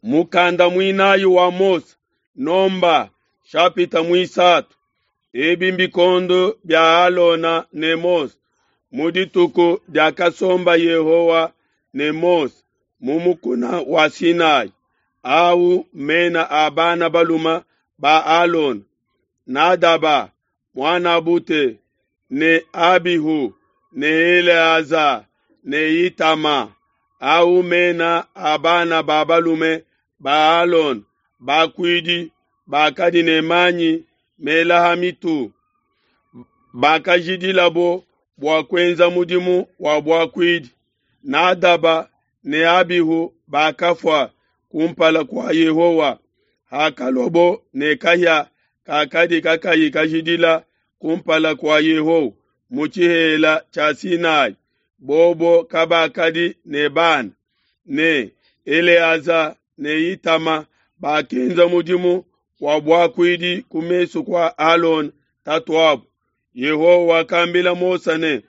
Mukanda muinayi wa Mose, Nomba nshapita muisatu. Ebi mbikondo bia Alona ne Mose mu dituku diakasomba Yehowa ne Mose mu mukuna wa Sinai. Au mena a bana baluma ba Alona: Nadaba muanabute ne Abihu ne Eleaza ne Itama. Au mena a bana ba balume ba Alona bakuidi bakadi ne manyi mela ha mitu, bakajidilabo bua kuenza mudimu wa buakuidi. Nadaba ne Abihu bakafua kumpala kua Yehowa hakaluabo ne kahia kakadi kakayi kajidila kumpala kua Yehowa mu tshihela tshia Sinai. Bobo kabakadi ne bana, ne Eleaza ne Itama bakenza mudimu wa buakuidi ku mesu kua Alona tatuabo. Yehowa wakambila Mose ne,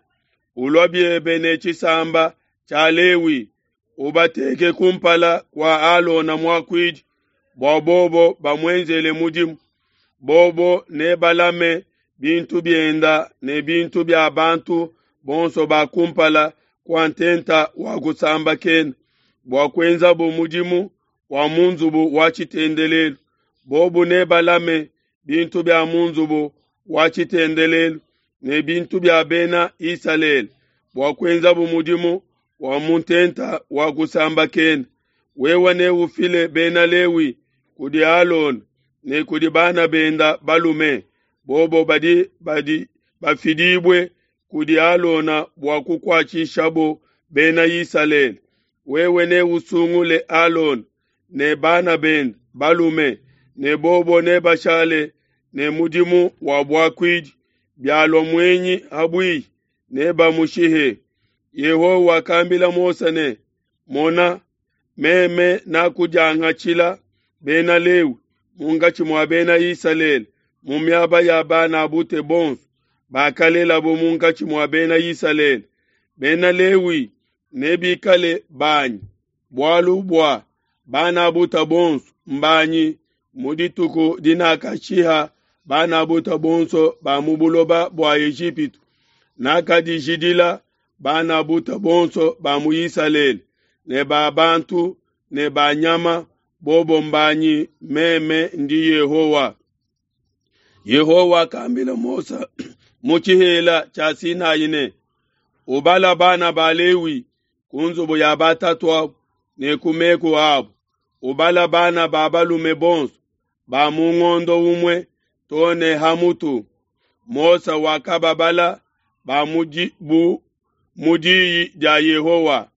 Ulua biebe ne tshisamba tshia Lewi, ubateke kumpala kua Alona muakuidi, bua bobo bamuenzele mudimu. Bobo nebalame bintu bienda ne bintu bia bantu bonso ba kumpala kua ntenta wa kusambakena, bua kuenzabo mudimu wa mu nzubu wa tshitendelelu. Bobo nebalame bintu bia mu nzubu wa tshitendelelu ne bintu bia bena Isalele, bua kuenzabo mudimu wa mu ntenta wa kusambakena. Wewe neufile bena Lewi kudi Alona ne kudi bana benda balume, bobo badi badi bafidibue kudi Alona bua kukuatshishabo bena Isalele. Wewe neusungule Alona ne bana bende balume, ne bobo nebashale ne mudimu wa buakuidi. Bialua muenyi ha buihi, nebamushihe. Yehowa wakambila Mose ne, Mona, meme nakudiangatshila bena Lewi munkatshi mua bena Isalele mu miaba ya bana bute bonso bakalelabo munkatshi mua bena Isalele. Bena Lewi nebikale banyi, bualu bua bana buta bonso mbanyi mu dituku dinakashiha bana buta bonso ba mu buloba bua Ejipitu. Nakadijidila bana buta bonso ba mu Isalele ne ba bantu ne ba nyama, bobo mbanyi, meme ndi Yehowa. Yehowa wakambila Mose mu tshihela tshia Sinai ne, Ubala bana ba Lewi ku nzubu ya batatuabo ne ku meku abo, ubala bana ba balume bonso ba mu ngondo umue to ne ha mutu. Mose wakababala ba bu mu diyi dia Yehowa.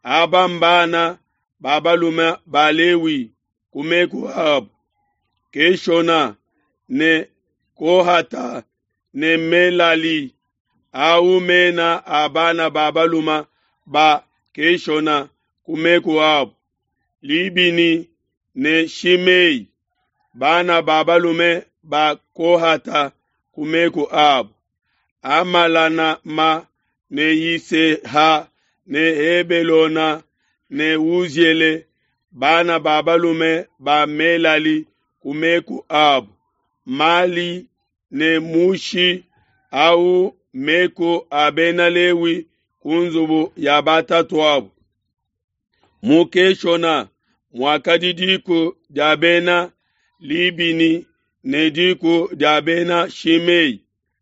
Aba mbana ba balume ba Lewi ku meku abo: Keshona ne Kohata ne Melali. Au mena a bana ba balume ba Keshona ku meku abo: Libini ne Shimei. Bana ba balume ba Kohata ku meku abo: Amalanama ne Yiseha ne Hebelona ne Uziele. Bana ba balume ba Melali ku meku abo: Mali ne Mushi. Au meku a bena Lewi ku nzubu ya batatuabo. Mu Keshona muakadi diku dia bena Libini ne diku dia bena Shimei.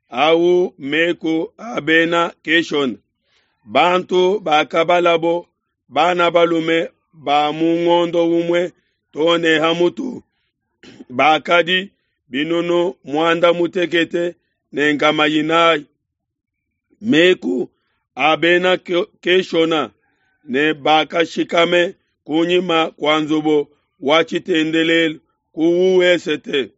Au meku a bena Keshona. Bantu bakabalabo bana balume ba mu ngondo umue to ne ha mutu bakadi binunu muanda mutekete ne nkama inayi. Meku a bena Keshona ne bakashikame kunyima kua nzubu wa tshitendelelu ku wesete.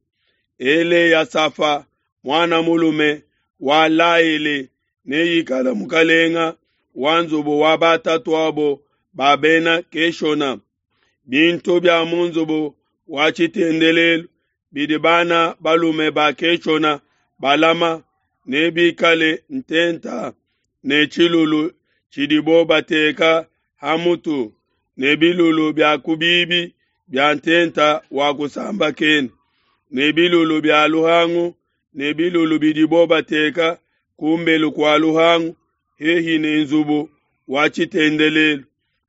Eleyasafa muana mulume wa Laele neikale mukalenga wa nzubu wa batatuabo ba bena Keshona. Bintu bia mu nzubu wa tshitendelelu bidi bana balume ba Keshona balama nebikale ntenta ne tshilulu tshidibo bateka ha mutu ne bilulu bia ku bibi. bia ntenta wa kusambakena, ne bilulu bia luhangu ne bilulu bidibo bateka ku mbelu kua luhangu hehi ne nzubu wa tshitendelelu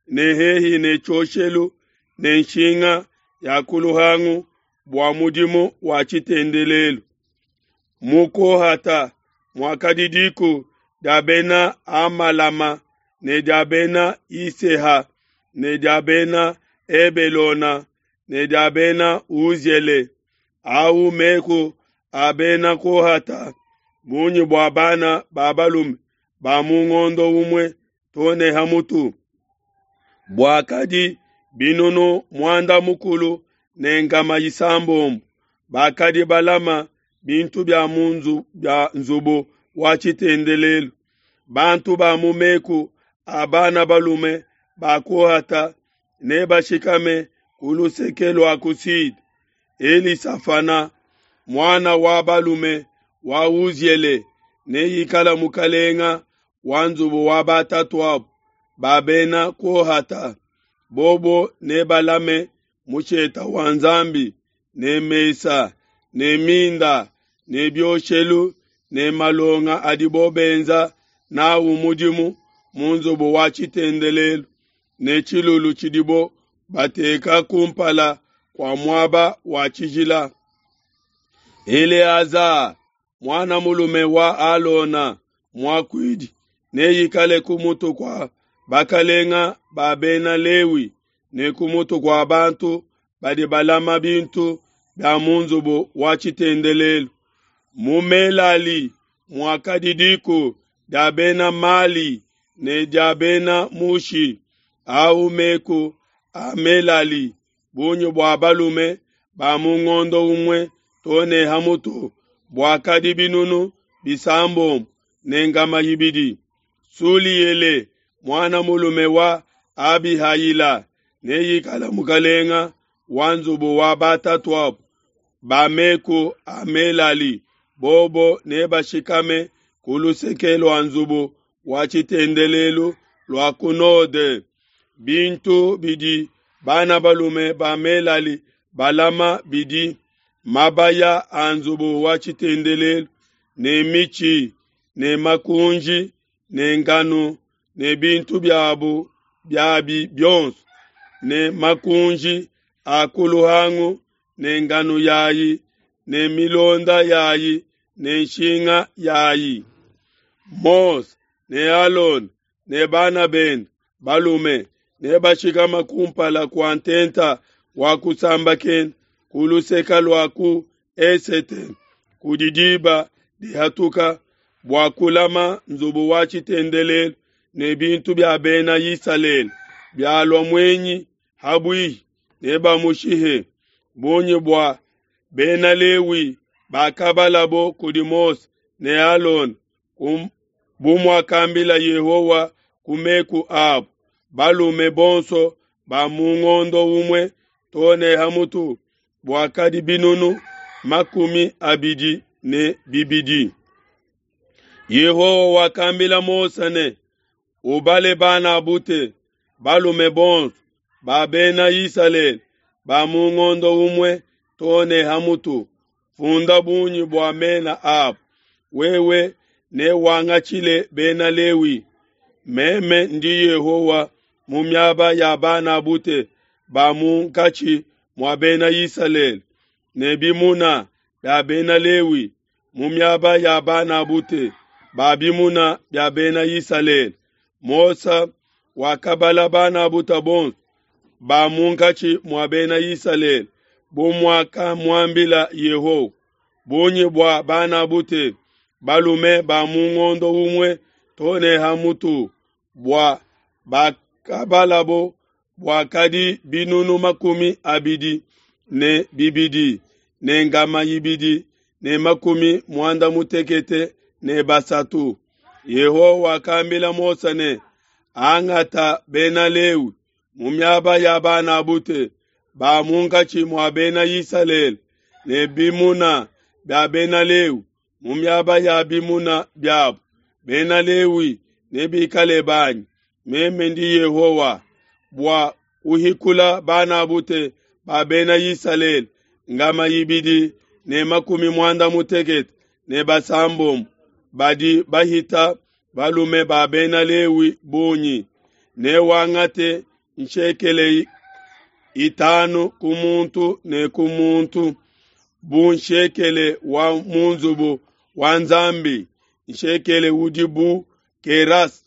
ne hehi ne tshioshelu ne nshinga ya ku luhangu bua mudimu wa tshitendelelu. Mu Kohata muakadi diku dia bena Amalama ne dia bena Iseha ne dia bena Ebelona ne dia bena Uziele. Au meku a bena Kohata, bungi bua bana ba balume ba mu ngondo umue too ne ha mutu buakadi binunu muanda mukulu ne nkama isambombo. Bakadi balama bintu bia mu bia nzubu wa tshitendelelu. Bantu ba mu meku a bana balume ba Kohata nebashikame ku luseke lua ku Sud. Elisafana, muana wa balume wa Uziele, neikala mukalenga wa nzubu wa batatuabu ba bena Kohata. Bobo nebalame musheta wa Nzambi ne mesa ne minda ne bioshelu ne malonga adibo benza nawu mudimu mu nzubu wa tshitendelelu ne tshilulu tshidibo bateka kumpala kua muaba wa tshijila. Eleaza, muana mulume wa Alona muakuidi, neikale ku mutu kua bakalenga ba bena Lewi ne ku mutu kua bantu badi balama bintu bia mu nzubu wa tshitendelelu. Mu Melali muakadi diku dia bena Mali ne dia bena Mushi. Au meku a Melali, bungi bua balume ba mu ngondo umue too ne ha mutu buakadi binunu bisambombo ne nkama ibidi. Suliele, muana mulume wa Abihayila, neikala mukalenga wa nzubu wa batatuabu ba meku a Melali. Bobo nebashikame ku luseke lua nzubu wa tshitendelelu lua ku node. Bintu bidi bana balume ba Melali balama bidi mabaya a nzubu wa tshitendelelu ne mitshi ne makunji ne nganu ne bintu biabu biabi bionso ne makunji a ku luhangu ne nganu yayi ne milonda yayi ne nshinga yayi. Mose ne Alona ne bana bende balume nebashikama kumpala kua ntenta wa kusambakena ku luseke lua ku esete kudi diba dihatuka bua kulama nzubu wa tshitendelelu ne bintu bia bena Isalele. Bialua muenyi habuihi nebamushihe. Bungi bua bena Lewi bakabalabo kudi Mose ne Alona bu muakambila Yehowa ku meku abo, balume bonso ba mu ngondo umue too ne ha mutu buakadi binunu 22. Yehowa wakambila Mose ne, ubale bana bute balume bonso ba bena Isalele ba mu ngondo umue too ne ha mutu, funda bungi bua mena abo. Wewe newangatshile bena Lewi. Meme ndi Yehowa mu miaba ya bana bute ba munkatshi mua bena Isalele ne bimuna bia bena Lewi mu miaba ya bana bute ba bimuna bia bena Isalele. Mose wakabala bana bute bonso ba munkatshi mua bena Isalele bu muakamuambila Yehowa. Bungi bua bana bute balume ba mu ngondo umue too ne ha mutu bua bakabalabo buakadi binunu 22 ne nkama 2 ne 63. Yehowa wakambila Mose ne, angata bena Lewi mu miaba ya bana bute ba munkatshi mua bena Isalele ne bimuna bia bena Lewi mu miaba ya bimuna biabo. Bena Lewi nebikale banyi, meme ndi Yehowa, bua kuhikula bana bute ba Bena Isalele ngama ibidi ne makumi muanda mutekete ne basambombo badi bahita balume ba Bena Lewi bungi. Newangate nshekele itanu ku muntu ne ku muntu bu nshekele wa mu nzubu wa Nzambi, nshekele udi bu keras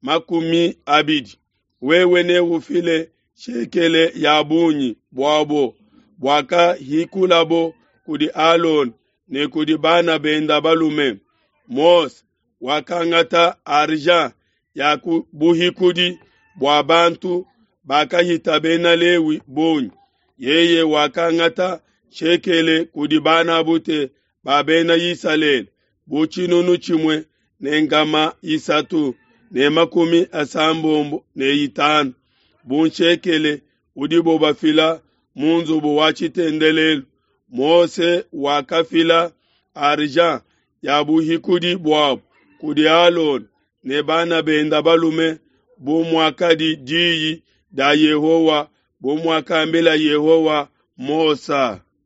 20. Wewe neufile shekele ya bungi buabo buakahikulabo kudi Alona ne kudi bana bende balume. Mose wakangata argent ya ku buhikudi bua bantu bakahita Bena Lewi bungi. Yeye wakangata shekele kudi banabute ba Bena Isalele bu tshinunu tshimue ne nkama isatu ne makumi asambombo ne itanu bu nshekele udibo bafila mu nzubu wa tshitendelelu. Mose wakafila argent ya buhikudi buabo kudi Alona ne bana bende balume bu muakadi diyi dia Yehowa, bu muakambila Yehowa Mose.